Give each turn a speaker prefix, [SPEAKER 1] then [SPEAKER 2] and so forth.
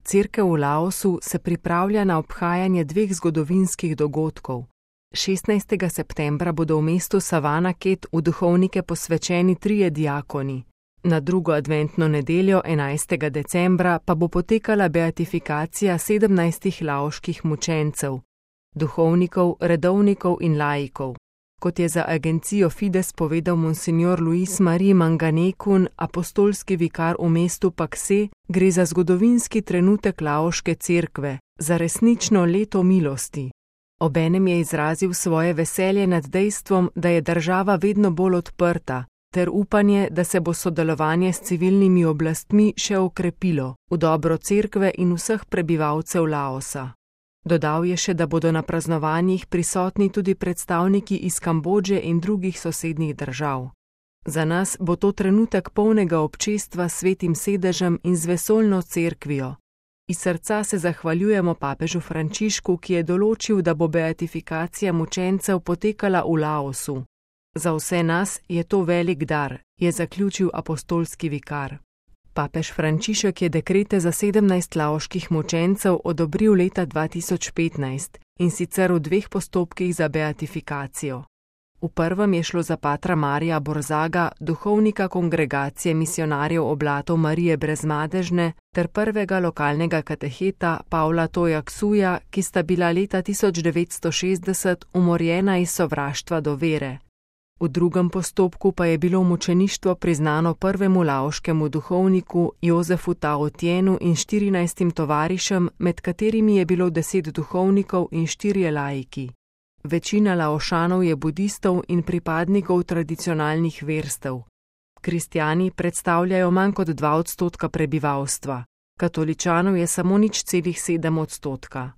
[SPEAKER 1] Cerkev v Laosu se pripravlja na obhajanje dveh zgodovinskih dogodkov. 16. septembra bodo v mestu Savanaket v duhovnike posvečeni 3 diakoni. Na drugo adventno nedeljo 11. decembra pa bo potekala beatifikacija 17 laoških mučencev, duhovnikov, redovnikov in laikov. Kot je za agencijo Fides povedal monsignor Luis Marie Manganekun, apostolski vikar v mestu Pakse, gre za zgodovinski trenutek laoške cerkve, za resnično leto milosti. Obenem je izrazil svoje veselje nad dejstvom, da je država vedno bolj odprta, ter upanje, da se bo sodelovanje s civilnimi oblastmi še okrepilo v dobro cerkve in vseh prebivalcev Laosa. Dodal je še, da bodo na praznovanjih prisotni tudi predstavniki iz Kambodže in drugih sosednjih držav. Za nas bo to trenutek polnega občestva s svetim sedežem in z vesoljno cerkvijo. Iz srca se zahvaljujemo papežu Frančišku, ki je določil, da bo beatifikacija mučencev potekala v Laosu. Za vse nas je to velik dar, je zaključil apostolski vikar. Papež Frančišek je dekrete za 17 laoških mučencev odobril leta 2015 in sicer v 2 postopkih za beatifikacijo. V prvem je šlo za patra Marija Borzaga, duhovnika kongregacije misionarjev oblatov Marije Brezmadežne, ter prvega lokalnega kateheta Pavla Tojaksuja, ki sta bila leta 1960 umorjena iz sovraštva do vere. V drugem postopku pa je bilo mučeništvo priznano prvemu laoškemu duhovniku Jozefu Taotienu in 14 tovarišem, med katerimi je bilo 10 duhovnikov in 4 laiki. Večina Laošanov je budistov in pripadnikov tradicionalnih verstev. Kristjani predstavljajo manj kot 2% prebivalstva, katoličanov je samo 0,7%.